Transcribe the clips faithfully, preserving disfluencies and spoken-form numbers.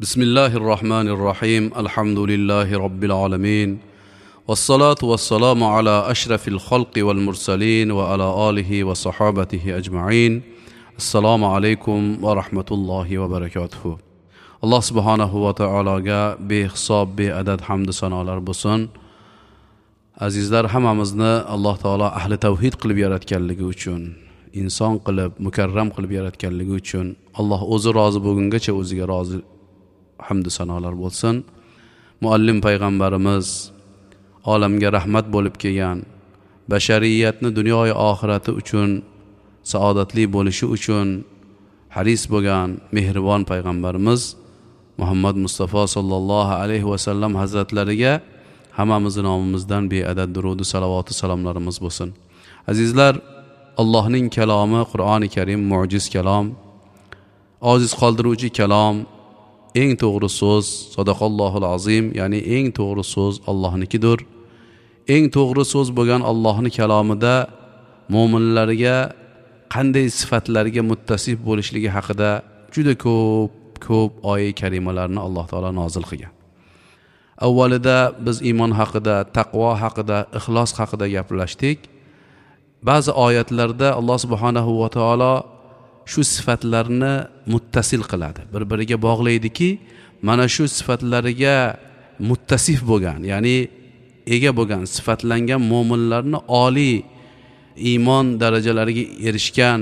Bismillahir Rahmanir Rahim. Alhamdulillahi Robbil alamin. Vassalatu vassalamu ala ashrafil xalqi val mursalin va ala alihi va sahabatihi ajma'in. Assalomu alaykum va rahmatullohi va barakatuh. Alloh subhanahu va taologa behisob beadad hamd sanolar bo'lsin. Azizlar, hammamizni Alloh taolo ahli tavhid qilib yaratganligi uchun, inson qilib, mukarram qilib yaratganligi uchun Alloh o'zi rozi bo'lgungacha o'ziga rozi hamd sanolar bo'lsin. Muallim payg'ambarimiz olamga rahmat bo'lib kelgan, bashariyatni dunyoyi oxirati uchun saodatli bo'lishi uchun haris bo'lgan mehribon payg'ambarimiz Muhammad Mustafa sallallohu alayhi va sallam hazratlariga hammamizni nomimizdan beadad durud va salovati salomlarimiz bo'lsin. Azizlar, Allohning kalomi Qur'oni Karim mo'jiz kalom, ojiz qoldiruvchi kalom, eng to'g'ri so'z sadaqallohul azim, ya'ni eng to'g'ri so'z Allohnikidir. Eng to'g'ri so'z bo'lgan Allohning kalomida mo'minlarga qanday sifatlarga muttasif bo'lishligi haqida juda ko'p ko'p oyat karimalarni Alloh taolo nozil qilgan. Avvalida biz iymon haqida, taqvo haqida, ixlos haqida gaplashdik. Ba'zi oyatlarda Alloh subhanahu va taolo shu sifatlarni muttasil qiladi, bir-biriga bog'laydiki, mana shu sifatlariga muttasif bo'lgan, ya'ni ega bo'lgan, sifatlangan mo'minlarni oliy iymon darajalariga erishgan,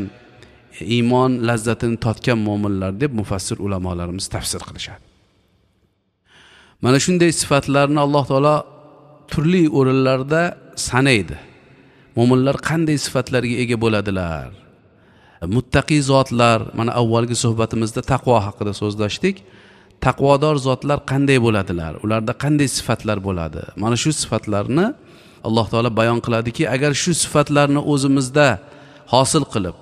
iymon lazzatini totgan mo'minlar deb mufassir ulamolarimiz tafsir qilishadi. Mana shunday sifatlarni Alloh taolo turli o'rinlarda sanaydi. Mo'minlar qanday sifatlarga ega bo'ladilar? Muttaqi zotlar, mana avvalgi suhbatimizda taqvo haqida so'zlashdik. Taqvodor zotlar qanday bo'ladilar? Ularda qanday sifatlar bo'ladi? Mana shu sifatlarni Alloh taolo bayon qiladiki, agar shu sifatlarni o'zimizda hosil qilib,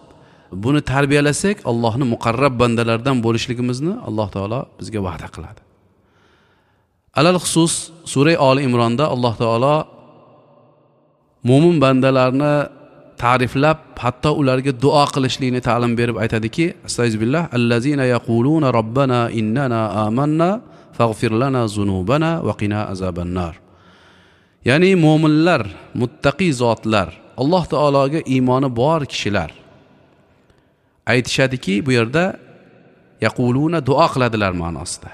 buni tarbiyalasak, Allohning muqarrab bandalardan bo'lishligimizni Alloh taolo bizga va'da qiladi. Alal xusus sura Oli Imronda Alloh taolo mo'min bandalarni ta'riflab, hatto ularga duo qilishlikni ta'lim berib aytadiki, astag'firullah, allazina yaquluna robbana innana amanna faghfir lana zunubana va qina azabannar. Ya'ni mo'minlar, muttaqi zotlar, Alloh taologa iymoni bor kishilar aytishadiki, bu yerda yaquluna duo qiladilar ma'nosida.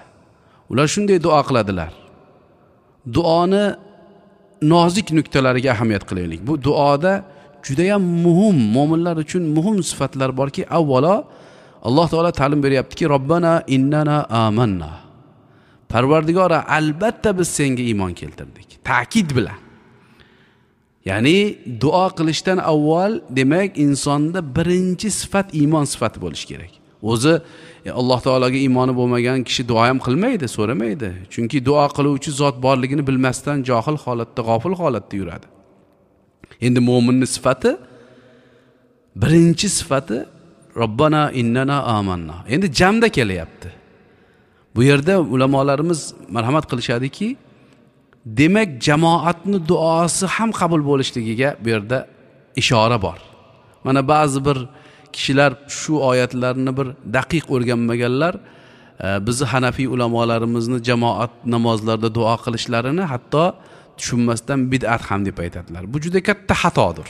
Ular shunday duo qiladilar. Duoni nozik nuqtalariga ahamiyat qilaylik. Bu duoda juda ham muhim, mo'minlar uchun muhim sifatlar borki, avvalo Alloh taolo ta'lim beryaptiki, robbana innana amanna. Parvardigora, albatta biz senga iymon keltirdik. Ta'kid bilan. Ya'ni duo qilishdan avval, demak, insonda birinchi sifat iymon sifati bo'lishi kerak. O'zi Alloh taologa iymoni bo'lmagan kishi duo ham qilmaydi, so'ramaydi. Chunki duo qiluvchi zot borligini bilmasdan johil holatda, g'ofil holatda yuradi. Endi mo'minning sifati, birinchi sifati robbana innana amanna. Endi jamda kelyapti. Bu yerda ulamolarimiz marhamat qilishadiki, demak jamoatning duosi ham qabul bo'lishligiga bu yerda ishora bor. Mana ba'zi bir kishilar shu oyatlarni bir daqiq o'rganmaganlar, bizni Hanafiy ulamolarimizni jamoat namozlarida duo qilishlarini hatto tushunmasdan bid'at ham deb aytadilar. Bu juda katta xatodir.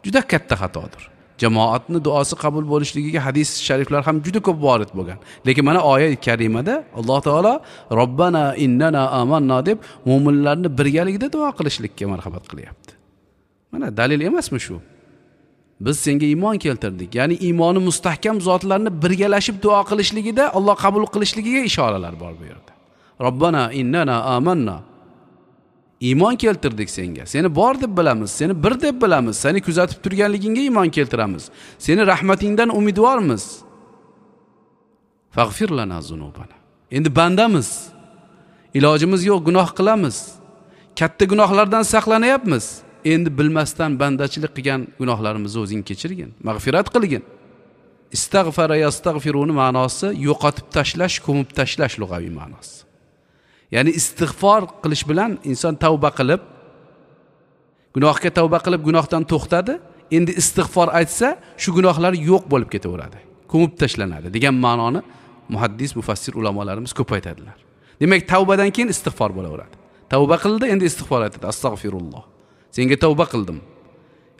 Juda katta xatodir. Jamoatning duosi qabul bo'lishligiga hadis shariflar ham juda ko'p vorid bo'lgan. Lekin mana oyat karimada Alloh taolo robbana innana amanna deb mo'minlarni birgalikda duo qilishlikka marhamat qilyapti. Mana dalil emasmi shu? Biz senga iymon keltirdik. Ya'ni iymoni mustahkam zotlarni birgalashib duo qilishligida Alloh qabul qilishligiga ishoralar bor bu yerda. Robbana innana amanna. Iymon keltirdik senga. Seni bor deb bilamiz, seni bir deb bilamiz, seni kuzatib turganligingga iymon keltiramiz. Seni rahmatingdan umidvormiz. Faghfir lana zunubana. Endi bandamiz. Ilojimiz yo'q, gunoh qilamiz. Katta gunohlardan saqlanyapmiz. Endi bilmasdan bandachilik qilgan gunohlarimizni o'zing kechirgin, mag'firat qilgin. Istag'fara yastag'firuni ma'nosi yo'qotib tashlash, ko'mib tashlash lug'aviy ma'nosi. Ya'ni istig'for qilish bilan inson tavba qilib, gunohga tavba qilib gunohdan to'xtadi. Endi istig'for aytsa, shu gunohlar yo'q bo'lib ketaveradi, ko'mib tashlanadi degan ma'noni muhaddis, mufassir ulamolarimiz ko'p aytadilar. Demak, tavbadan keyin istig'for bo'laveradi. Tavba qildi, endi istig'for aytadi. Astag'firulloh. Senga tavba qildim.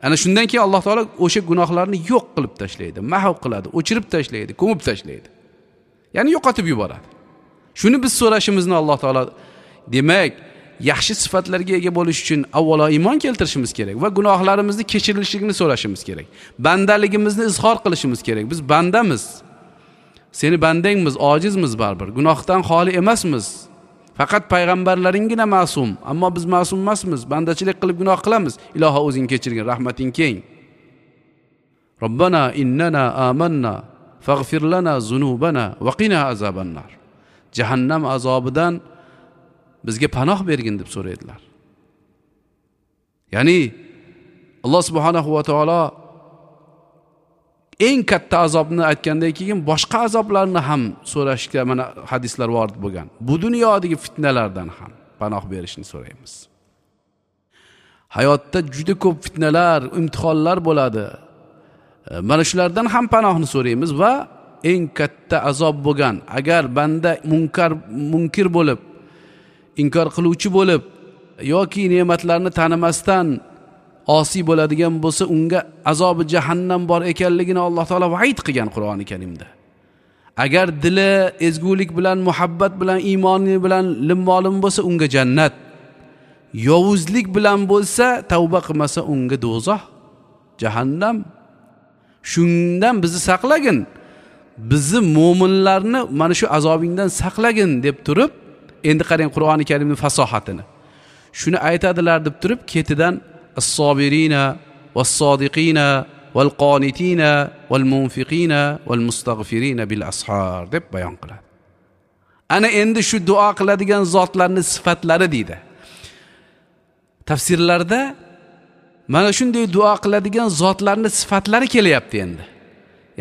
Ana shundan keyin Alloh taolo o'sha gunohlarni yo'q qilib tashlaydi, mahv qiladi, o'chirib tashlaydi, ko'mib tashlaydi. Ya'ni yo'qotib yuboradi. Shuni biz so'rashimizni Alloh taolo, demak, yaxshi sifatlarga ega bo'lish uchun avvalo iymon keltirishimiz kerak va gunohlarimizni kechirilishini so'rashimiz kerak. Bandaligimizni izhor qilishimiz kerak. Biz bandamiz. Seni bandangmiz, ojizmiz baribir. Gunohdan xoli emasmiz. Faqat payg'ambarlaringgina ma'sum, ammo biz ma'sum emasmiz. Bandachilik qilib gunoh qilamiz. Iloho o'zing kechirgin, rahmating keng. Robbana innana amanna faghfir lana zunubana va qina azabannar. Jahannam azobidan bizga panoh bergin deb so'raydilar. Ya'ni Alloh subhanahu va taolo eng katta azobni aytgandan keyin boshqa azoblarni ham so'rashga mana hadislar vorid bo'lgan. Bu dunyodagi fitnalardan ham panoh berishni so'raymiz. Hayotda juda ko'p fitnalar, imtihonlar bo'ladi. Mana shulardan ham panohni so'raymiz va eng katta azob bo'lgan, agar banda munkar munkir bo'lib, inkor qiluvchi bo'lib yoki ne'matlarni tanimasdan osiy bo'ladigan bo'lsa, unga azobi jahannam bor ekanligini Alloh taolo va'id qilgan Qur'oni Karimda. Agar dili ezgulik bilan, muhabbat bilan, iymoni bilan limmolim bo'lsa, unga jannat. Yovuzlik bilan bo'lsa, tavba qilmasa, unga do'zax, jahannam. Shundan bizni saqlagin. Bizni mo'minlarni mana shu azobingdan saqlagin deb turib, endi qarang Qur'oni Karimning fasohatini. Shuni aytadilar deb turib, ketidan as-sobirina was-sodiqina wal-qonitina wal-munfiqina wal-mustaghfirina bil ashar deb bayon qiladi. Ana endi shu duo qiladigan zotlarning sifatlari deydi. Tafsirlarda mana shunday duo qiladigan zotlarning sifatlari kelyapti endi.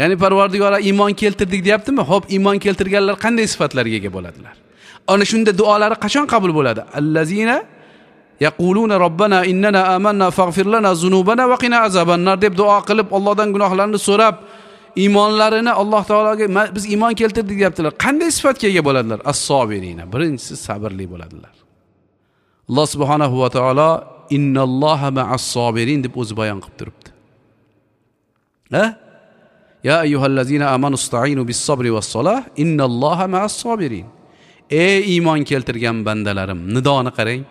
Ya'ni Parvardigora iymon keltirdik deyaptimi? Xo'p, iymon keltirganlar qanday sifatlarga ega bo'ladilar? Ana shunda duolari qachon qabul bo'ladi? Allazina yaquluna robbana innana amanna faghfir lana zunubana va qina azabannar deb duo qilib, Allohdan gunohlarini so'rab, iymonlarini Alloh taologa biz iymon keltirdik deyaptilar. Qanday sifatga ega bo'ladilar? As-sobirina. Birinchisi sabrli bo'ladilar. Alloh subhanahu va taolo innalloha ma'as sobirin deb o'zi bayon qilib turibdi. Ha? Ya ayyuhallazina amanu ista'inu bis-sabri was-salah innalloha ma'as sobirin. Ey iymon keltirgan bandalarim, nidoni qarang.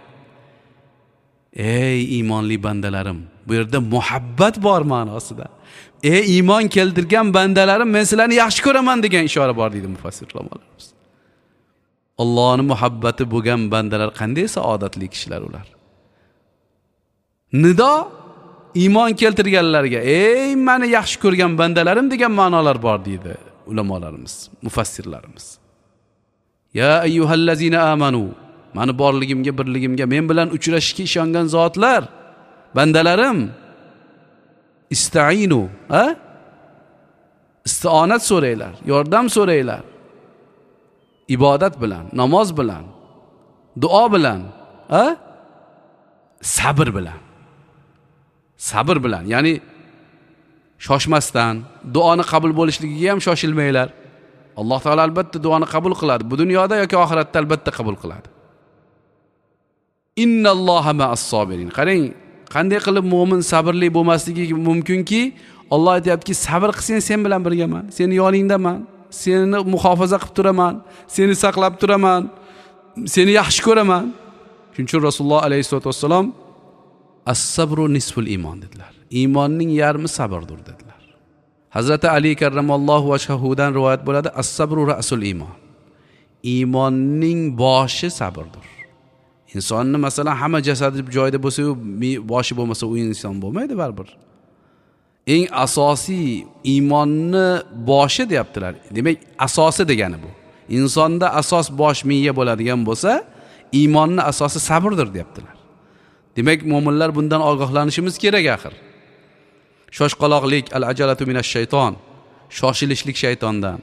Ey iymonli bandalarim, bu yerda muhabbat bor ma'nosida. Ey iymon keltirgan bandalarim, men sizlarni yaxshi ko'raman degan ishora bor deydi mufassir ulamolarimiz. Allohning muhabbati bo'lgan bandalar qanday saodatli kishilar ular. Nido iymon keltirganlarga, ey meni yaxshi ko'rgan bandalarim degan ma'nolar bor deydi ulamolarimiz, mufassirlarimiz. Ya ayyuhallazina amanu, meni borligimga, birligimga, men bilan uchrashishga ishongan zotlar, bandalarim, istainu, ha? Istionat so'ranglar, yordam so'ranglar. Ibodat bilan, namoz bilan, duo bilan, ha? Sabr bilan. Sabr bilan, ya'ni shoshmasdan, duoni qabul bo'lishligiga ham shoshilmanglar. Alloh taolo albatta duoni qabul qiladi. Bu dunyoda yoki oxiratda albatta qabul qiladi. Innalloha ma'as sobirin. Qarang, qanday qilib mo'min sabrli bo'lmasligi mumkinki, Alloh aytayaptiki, sabr qilsang sen bilan birgaman, seni yoningdaman, seni muhofaza qilib turaman, seni saqlab turaman, seni yaxshi ko'raman. Shuning uchun Rasululloh alayhisolatu vassalom as-sabru nisful iymon dedilar. Iymonning yarmi sabrdir dedilar. Hazrati Ali karramallohu vajhahudan rivoyat bo'ladi, as-sabru ra'sul iymon. Iymonning boshi sabrdir. Insonni masalan hamma jasadi joyida bo'lsa-yu, boshi bo'lmasa u inson bo'lmaydi baribir. Eng asosiy iymonni boshi deyaptilar. Demak, asosi degani bu. Insonda asos bosh miya bo'ladigan bo'lsa, iymonning asosi sabrdir deyaptilar. Demak, mo'minlar bundan ogohlanishimiz kerak axir. Shoshqaloqlik al-ajalatu minash shayton, shoshilishlik shaytondan.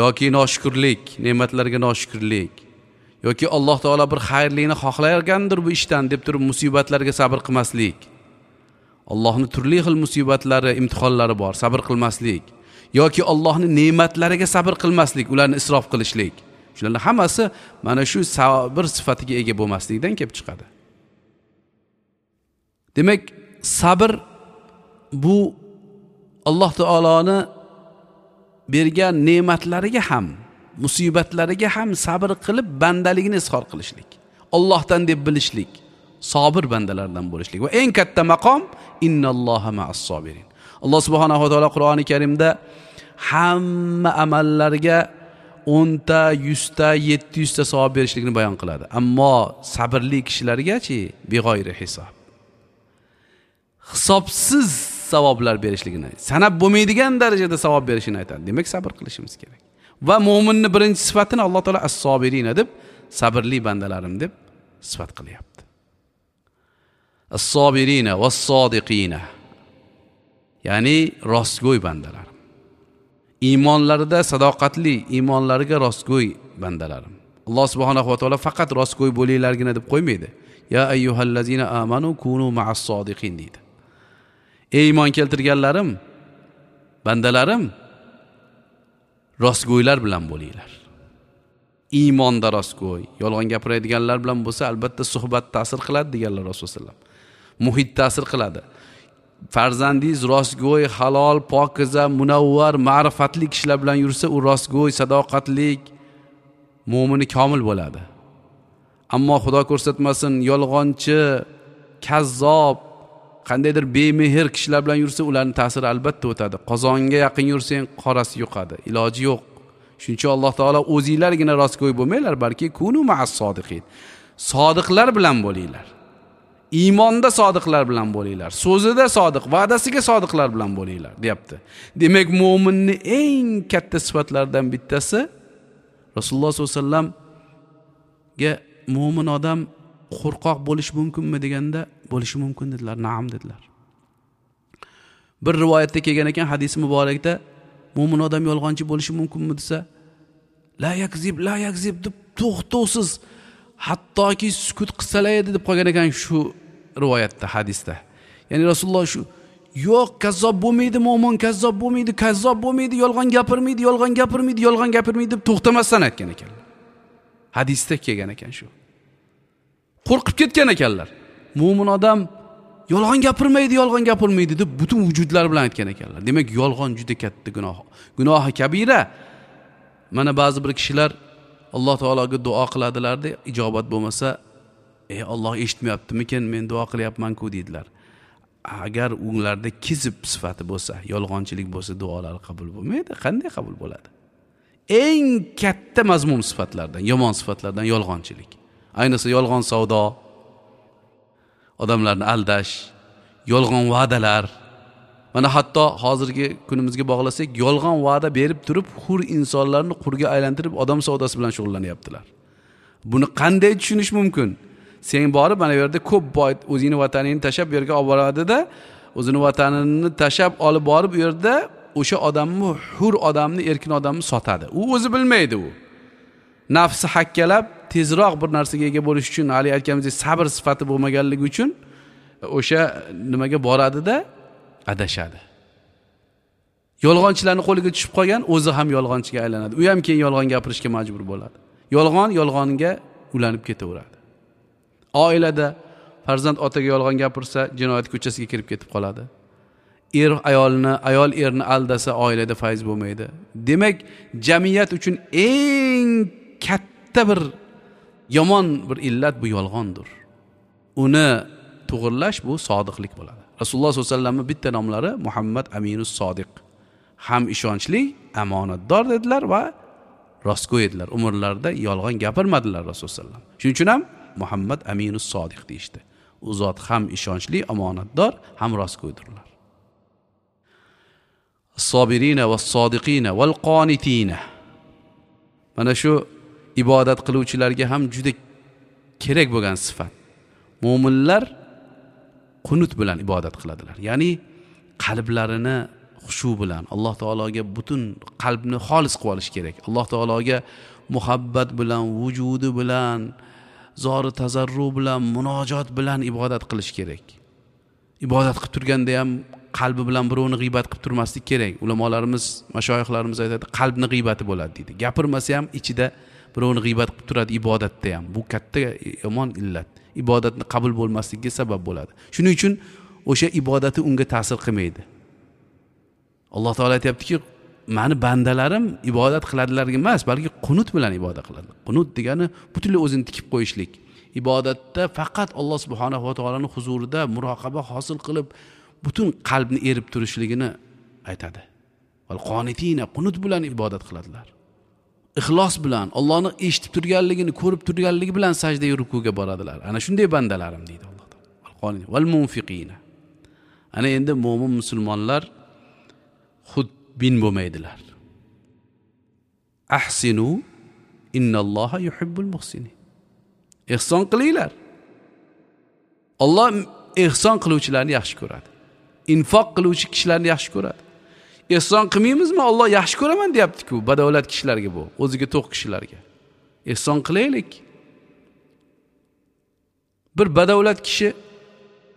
Yoki noshukrlik, ne'matlarga noshukrlik. Yoki Alloh taolo bir xayrlikni xohlayotgandir bu ishdan deb turib musibatlarga sabr qilmaslik. Allohning turli xil musibatlari, imtihonlari bor, sabr qilmaslik. yoki Allohning ne'matlariga sabr qilmaslik, ularni isrof qilishlik. Shularning hammasi mana shu sabr sifatiga ega bo'lmaslikdan kelib chiqadi. Demak, sabr bu Alloh taoloni bergan ne'matlariga ham, musibatlariga ham sabr qilib bandaligini izhor qilishlik, Allohdan deb bilishlik, sobir bandalardan bo'lishlik. Va eng katta maqom innalloha ma'as sobirin. Alloh subhanahu va taolo Qur'oni Karimda hamma amallarga o'nta, yuzta, yetti yuzta savob berishlikni bayon qiladi. Ammo sabrli kishilargachi beg'oyri hisob, hisobsiz savoblar berishligini, sanab bo'lmaydigan darajada savob berishini aytadi. Demak, sabr qilishimiz kerak. Va mo'minning birinchi sifatini Alloh taolo as-sobirina deb, sabrli bandalarim deb sifat qilyapti. As-sobirina was-sodiqina, ya'ni rostgo'y bandalarim. Iymonlarida sadoqatli, iymonlariga rostgo'y bandalarim. Alloh subhanahu va taolo faqat rostgo'y bo'linglargina deb qo'ymaydi. Ya ayyuhallazina amanu kunu ma'as sodiqin deydi. Ey iymon keltirganlarim, bandalarim, rostgo'ylar bilan bo'linglar. Iymonda rostgo'y, yolg'on gapiradiganlar bilan bo'lsa albatta suhbat ta'sir qiladi deganlar Rasululloh sollallohu alayhi vasallam. Muhit ta'sir qiladi. Farzandingiz rostgo'y, halol, pokiza, munavvar, ma'rifatli kishilar bilan yursa, u rostgo'y, sadoqatli, mo'mini komil bo'ladi. Ammo Xudo ko'rsatmasin, yolg'onchi, kazzob, qandaydir bemehr kishilar bilan yursa, ularning ta'siri albatta o'tadi. Qozonga yaqin yursang, qorasi yuqadi. Iloji yo'q. Shuning uchun Alloh taolo o'zinglargina rostgo'y bo'lmanglar, balki kunu ma'as sodiqin. Sodiqlar bilan bo'linglar. Iymonda sodiqlar bilan bo'linglar, so'zida sodiq, va'dasiga sodiqlar bilan bo'linglar, deyapti. Demak, mo'minning eng katta sifatlaridan bittasi Rasululloh sollallohu alayhi vasallamga mo'min odam qo'rqoq bo'lishi mumkinmi deganda, bo'lishi mumkin dedilar, na'am dedilar. Bir rivoyatda kelgan ekan, hadisi muborakda mo'min odam yolg'onchi bo'lishi mumkinmi desa, la yakzib, la yakzib deb to'xtovsiz, hattoki sukut qilsalar edi deb qolgan ekan shu rivoyatda, hadisda. Ya'ni Rasululloh shu yo'q, kazzob bo'lmaydi, mo'min kazzob bo'lmaydi, kazzob bo'lmaydi, yolg'on gapirmaydi, yolg'on gapirmaydi, yolg'on gapirmaydi deb to'xtamasdan aytgan ekanlar. Hadisda kelgan ekan shu. Qo'rqib ketgan ekanlar. Mo'min odam yolg'on gapirmaydi, yolg'on gapirmaydi deb butun vujudlari bilan aytgan ekanlar. Demak, yolg'on juda katta gunoh. Gunohi kabira. Mana ba'zi bir kishilar Alloh taologa duo qiladilar-da, ijobat bo'lmasa, "Ey Alloh eshitmayaptimikin, men duo qilyapman-ku" deydilar. Agar ularda kizib sifati bo'lsa, yolg'onchilik bo'lsa, duolar qabul bo'lmaydi. Qanday qabul bo'ladi? Eng katta mazmum sifatlardan, yomon sifatlardan yolg'onchilik. Ayniqsa yolg'on savdo, odamlarni aldash, yolg'on va'dalar. Mana hatto hozirgi kunimizga bog'lasak, yolg'on va'da berib turib, hur insonlarni qurga aylantirib, odam savdosi bilan shug'ullanyaptilar. Buni qanday tushunish mumkin? Sen borib mana bu yerda ko'p boy o'zini vatanini tashab bu yerga olib boradida, o'zini vatanini tashab olib borib u yerda o'sha odamni, hur odamni, erkin odamni sotadi. U o'zi bilmaydi u. Nafsi hakkalab tezroq bir narsaga ega bo'lish uchun, hali aytganimizdek sabr sifati bo'lmaganligi uchun o'sha nimaga boradida adashadi. Yolg'onchilarning qo'liga tushib qolgan, o'zi ham yolg'onchiga aylanadi. U ham keyin yolg'on gapirishga majbur bo'ladi. Yolg'on yolg'onga ulanib ketaveradi. Oilada farzand otaga yolg'on gapirsa, jinoyat ko'chasiga kirib ketib qoladi. Er ayolni, ayol erni aldasa, oilada fayz bo'lmaydi. Demak, jamiyat uchun eng katta bir yomon bir illat bu yolg'ondir. Uni to'g'irlash bu sodiqlik bo'ladi. Rasululloh sollallohu alayhi vasallamning bitta nomlari Muhammad Aminus Sodiq. Ham ishonchli, omonatdor dedilar va rostgo'y edilar. Umrlarida yolg'on gapirmadilar Rasululloh sollallohu alayhi vasallam. Shuning uchun ham Muhammad Aminus Sodiq deyishdi. U zot ham ishonchli, omonatdor, ham rostgo'ydirlar. As-sobirina was-sodiqina wal-qonitina. Mana shu ibodat qiluvchilarga ham juda kerak bo'lgan sifat. Mo'minlar qunut bilan ibodat qiladilar. Ya'ni qalblarini xushu bilan Alloh taologa butun qalbni xolis qilib olish kerak. Alloh taologa muhabbat bilan, vujudi bilan, zori tazarru bilan, munojot bilan ibodat qilish kerak. Ibodat qilib turganda ham qalbi bilan birovni g'iybat qilib turmaslik kerak. Ulamolarimiz, mashoyixlarimiz aytadi, qalbni g'iybati bo'ladi deydi. Gapirmasa ham ichida birovni g'iybat qilib turadi ibodatda ham. Bu katta yomon illat. Ibodatni qabul bo'lmasligiga sabab bo'ladi. Shuning uchun o'sha ibodati unga ta'sir qilmaydi. Alloh taolo aytayaptiki, mani bandalarim ibodat qiladilar emas, balki qunut bilan ibodat qiladi. Qunut degani butunlay o'zini tikib qo'yishlik. Ibodatda faqat Alloh subhanahu va taoloning huzurida muroqaba hosil qilib, butun qalbni erib turishligini aytadi. Val qonitina, qunut bilan ibodat qiladilar. Ixlos bilan Allohni eshitib turganligini, ko'rib turganligi bilan sajdaga, rukuga boradilar. Ana shunday bandalarim deydi Alloh taolo. Val qonitina val munfiqina. Ana endi mo'min musulmonlar xudbin bo'lmaydilar. Ahsinu innalloha yuhibbul muhsinin. Ehson qilinglar. Alloh ehson qiluvchilarni yaxshi ko'radi. Infoq qiluvchi kishilarni yaxshi ko'radi. Ehson qilmaymizmi? Alloh yaxshi ko'raman deyapti-ku badavlat kishilarga, bu o'ziga to'q kishilarga. Ehson qilaylik. Bir badavlat kishi,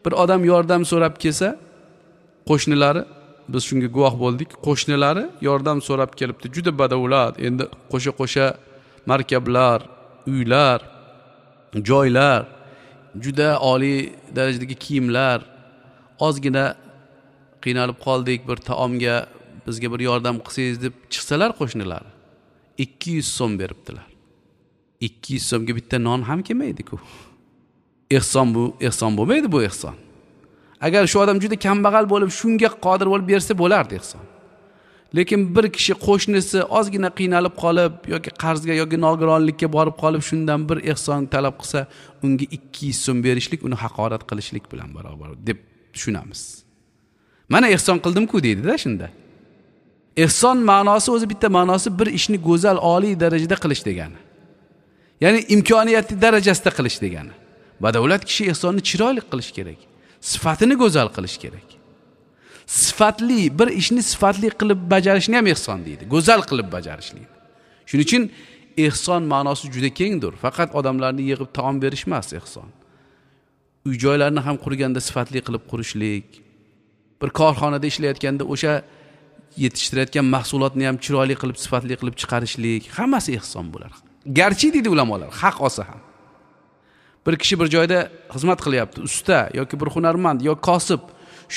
bir odam yordam so'rab kelsa, qo'shnilari, biz shunga guvoh bo'ldik, qo'shnilari yordam so'rab kelibdi. Juda badavlat, endi qo'sha-qo'sha markablar, uylar, joylar, juda oliy darajadagi kiyimlar, ozgina qiynalib qoldik, bir taomga bizga bir yordam qilsangiz deb chiqsalar qo'shnilar ikki yuz so'm beribdilar. ikki yuz so'mga bitta non ham kelmaydi-ku. Ehson bu, ehson bo'lmaydi bu ehson. Agar shu odam juda kambag'al bo'lib shunga qodir bo'lib bersa bo'lardi ehson. Lekin bir kishi qo'shnisi ozgina qiynalib qolib yoki qarzga yoki nogironlikka borib qolib shundan bir ehson talab qilsa, unga ikki yuz so'm berishlik uni haqorat qilishlik bilan barobar deb tushunamiz. Mana ehson qildim-ku deydi-da shunda. Ehson ma'nosi o'zi bitta ma'nosi bir ishni go'zal, oliy darajada qilish degani. Ya'ni imkoniyati darajasida qilish degani. Badavlat kishi ehsonni chiroyli qilish kerak. Sifatini go'zal qilish kerak. Sifatli bir ishni sifatli qilib bajarishni ham ehson deydi. Go'zal qilib bajarishni. Shuning uchun ehson ma'nosi juda kengdir. Faqat odamlarni yig'ib taom berish emas ehson. Uy joylarni ham qurganda sifatli qilib qurishlik, bir korxonada ishlayotganda o'sha yetishtirayotgan mahsulotni ham chiroyli qilib, sifatli qilib chiqarishlik, hammasi ehson bo'lar. Garchi deydi ulamolar, haq olsa ham. Bir kishi bir joyda xizmat qilyapti, usta yoki bir hunarmand yoki kosib,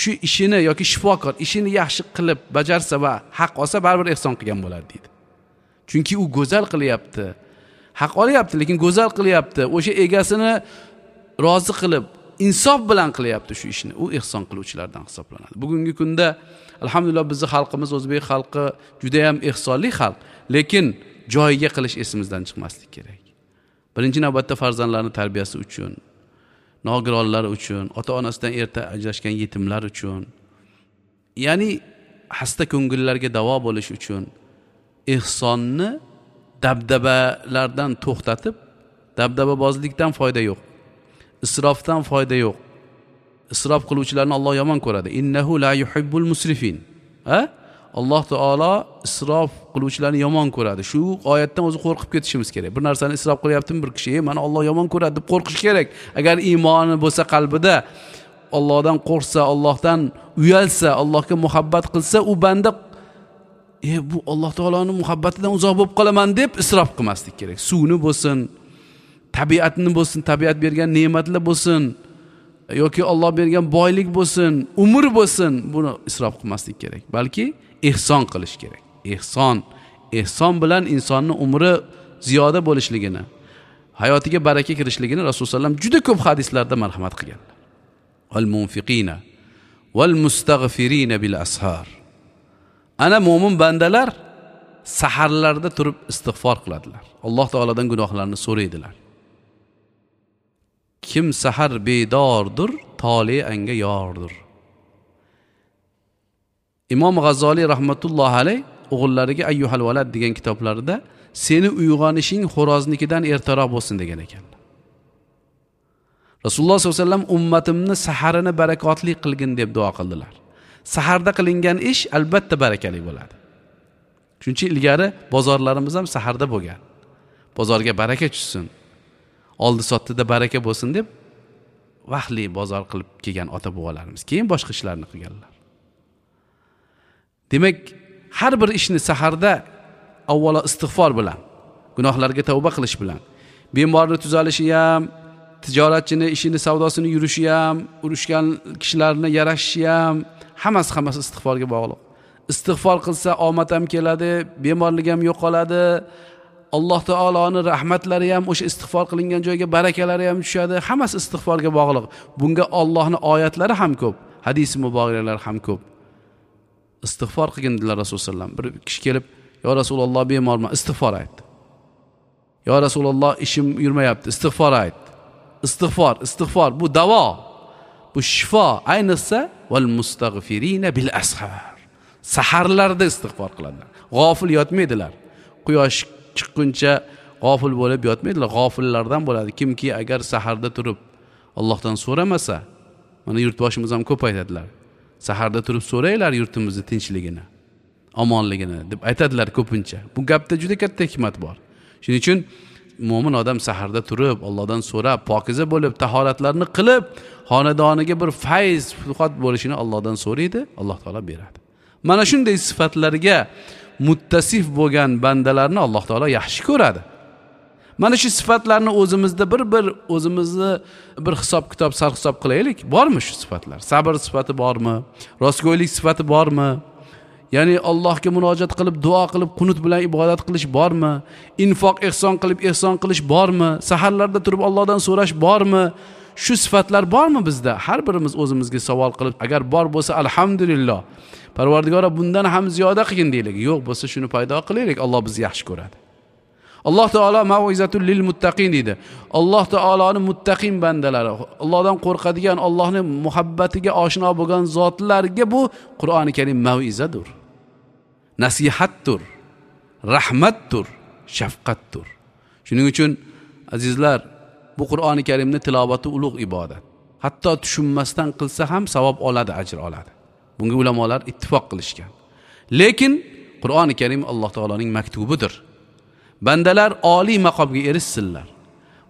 shu ishini yoki shifokor ishini yaxshi qilib bajarsa va haq olsa baribir ehson qilgan bo'ladi deydi. Chunki u go'zal qilyapti. Haq olyapti, lekin go'zal qilyapti. O'sha egasini rozi qilib, insof bilan qilyapti shu ishni. U ehson qiluvchilardan hisoblanadi. Bugungi kunda alhamdulillah bizning xalqimiz, o'zbek xalqi juda ham ehsonli xalq, lekin joyiga qilish esimizdan chiqmaslik kerak. Birinchi navbatda farzandlarning tarbiyasi uchun, nogironlar uchun, ota-onasidan erta ajrashgan yetimlar uchun, ya'ni xasta ko'ngillarga davo bo'lish uchun ehsonni dabdabalardan to'xtatib, dabdababozlikdan foyda yo'q. Isrofdan foyda yo'q. Isrof qiluvchilarni Alloh yomon ko'radi. Innahu la yuhibbul musrifin. Ha? Alloh taolo isrof qiluvchilarni yomon ko'radi. Shu oyatdan o'zi qo'rqib ketishimiz kerak. Bir narsani isrof qilyaptimi bir kishi, mana Alloh yomon ko'radi deb qo'rqish kerak. Agar iymoni bo'lsa qalbida, Allohdan qo'rqsa, Allohdan uyalsa, Allohga muhabbat qilsa, u banda e bu Alloh taoloning muhabbatidan uzoq bo'lib qolaman deb isrof qilmaslik kerak. Suvni bo'lsin, tabiatni bo'lsin, tabiat bergan ne'matlar bo'lsin yoki Alloh bergan boylik bo'lsin, umr bo'lsin, buni isrof qilmaslik kerak, balki ehson qilish kerak. Ehson, ehson bilan insonning umri ziyoda bo'lishligini, hayotiga baraka kirishligini Rasululloh sollallohu alayhi vasallam juda ko'p hadislarda marhamat qilganlar. Al munfiqina val mustaghfirina bil ashar. Ana mo'min bandalar saharlarda turib istig'for qiladilar. Alloh taolodan gunohlarni so'raydilar. Kim sahar bedordir, toli anga yordir. Imom G'azzoliy rahmatullohi alayh o'g'illariga Ayyuhal valad degan kitoblarida seni uyg'onishing xo'roznikidan ertaroq bo'lsin degan ekanlar. Rasululloh sollallohu alayhi vasallam ummatimni saharini barakotli qilgin deb duo qildilar. Saharda qilingan ish albatta barakali bo'ladi. Shuning uchun ilgari bozorlarimiz ham saharda bo'lgan. Bozorga baraka tushsin, oldi sotdida baraka bo'lsin deb vaqtli bozor qilib kelgan ota-bobolarimiz. Keyin boshqa ishlarni qilganlar. Demak, har bir ishni saharda avvalo istig'for bilan, gunohlarga tavba qilish bilan, bemorni tuzalishi ham, tijoratchini ishini, savdosini yurishi ham, urushgan kishilarni yarashishi ham, hammasi hammasi istig'forga bog'liq. Istig'for qilsa omad ham keladi, bemorlik ham yo'qoladi. Alloh taoloning rahmatlari ham o'sha istig'for qilingan joyga barakalari ham tushadi. Hammasi istig'forga bog'liq. Bunga Allohning oyatlari ham ko'p, hadisi muboraklar ham ko'p. Istig'for qilgin dedilar Rasululloh sallam. Bir kishi kelib, "Ya Rasululloh, bemorman," istig'for aytdi. "Ya Rasululloh, ishim yurmayapti," istig'for aytdi. Istig'for, istig'for bu davo, bu shifo. Ayniqsa val mustag'firina bil ashar. Saharlarda istig'for qiladilar. G'ofil yotmaydilar. Quyosh chiqquncha g'ofil bo'lib yotmaydilar. G'ofillardan bo'ladi. Kimki agar saharda turib Allohdan so'ramasa, mana yurtboshimiz ham ko'p aytadilar. Saharda turib so'raylar yurtimizni tinchligini, omonligini deb aytadilar ko'pincha. Bu gapda juda katta hikmat bor. Shuning uchun mo'min odam saharda turib Allohdan so'rab, pokiza bo'lib, tahoratlarni qilib, xonadoniga bir fayz, futuhat bo'lishini Allohdan so'raydi, Alloh taolo beradi. Mana shunday sifatlarga muttasif bo'lgan bandalarni Alloh taolo yaxshi ko'radi. Mana shu sifatlarni o'zimizda bir bir o'zimizni bir hisob kitob sarhisob qilaylik. Bormi shu sifatlar? Sabr sifati bormi? Rostgo'ylik sifati bormi? Ya'ni Allohga murojaat qilib, duo qilib, qunut bilan ibodat qilish bormi? Infoq, ehson qilib, ehson qilish bormi? Saharlarda turib Allohdan so'rash bormi? Shu sifatlar bormi bizda? Har birimiz o'zimizga savol qilib, agar bor bo'lsa alhamdulillah. Parvardigora bundan ham ziyoda qilgin deylik. Yo'q bo'lsa shuni paydo qilaylik. Alloh bizni yaxshi ko'radi. Alloh taolo mauizatul lil muttaqin deydi. Alloh taoloning muttaqin bandalari, Allohdan qo'rqadigan, Allohning muhabbatiga oshno bo'lgan zotlarga bu Qur'oni Karim mauizadir. Nasihatdir, rahmatdir, shafqatdir. Shuning uchun azizlar, bu Qur'oni Karimni tilovati ulug' ibodat. Hatto tushunmasdan qilsa ham savob oladi, ajr oladi. Bunga ulamolar ittifoq qilishgan. Lekin Qur'oni Karim Alloh taoloning maktubidir. Bandalar oliy maqomga erishsinlar.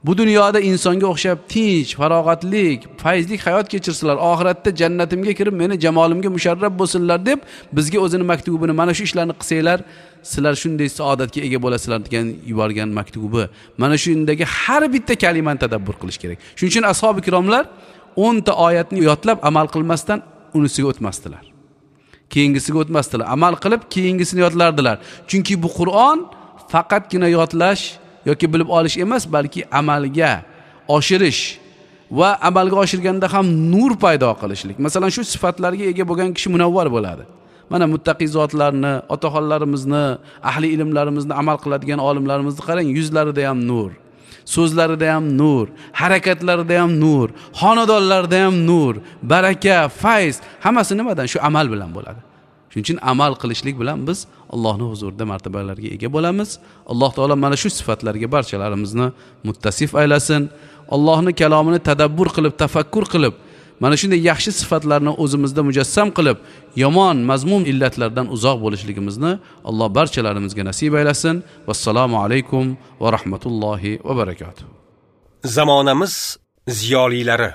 Bu dunyoda insonga o'xshab tinch, farog'atlik, fayzlik hayot kechirsinlar. Oxiratda jannatimga kirib meni jamolimga musharraf bo'lsinlar deb bizga o'zini maktubini, mana shu ishlarni qilsanglar, sizlar shunday saodatga ega bo'lasizlar degan yuborgan maktubi. Mana shundagi har bitta kalimani tadabbur qilish kerak. Shuning uchun ashabi kiromlar o'n ta oyatni yodlab amal qilmasdan unisiga o'tmasdilar. Keyingisiga o'tmasdilar. Amal qilib keyingisini yodlardilar. Chunki bu Qur'on faqatgina yodlash yoki bilib olish emas, balki amalga oshirish va amalga oshirganda ham nur paydo qilishlik. Masalan, shu sifatlarga ega bo'lgan kishi munavvar bo'ladi. Mana muttaqi zotlarni, otaxonlarimizni, ahli ilmlarimizni, amal qiladigan olimlarimizni qarang, yuzlarida ham nur, so'zlarida ham nur, harakatlarida ham nur, xonadonlarida ham nur, baraka, fayz, hammasi nimadan? Shu amal bilan bo'ladi. Shuning uchun amal qilishlik bilan biz Allohning huzurida martabalarga ega bo'lamiz. Alloh taolo mana shu sifatlarga barchalarimizni muttasif aylasin. Allohning kalomini tadabbur qilib, tafakkur qilib, mana shunday yaxshi sifatlarni o'zimizda mujassam qilib, yomon mazmun illatlardan uzoq bo'lishligimizni Alloh barchalarimizga nasib aylasin. Vassalomu alaykum va rahmatullohi va barakatuh. Zamonamiz ziyolilari.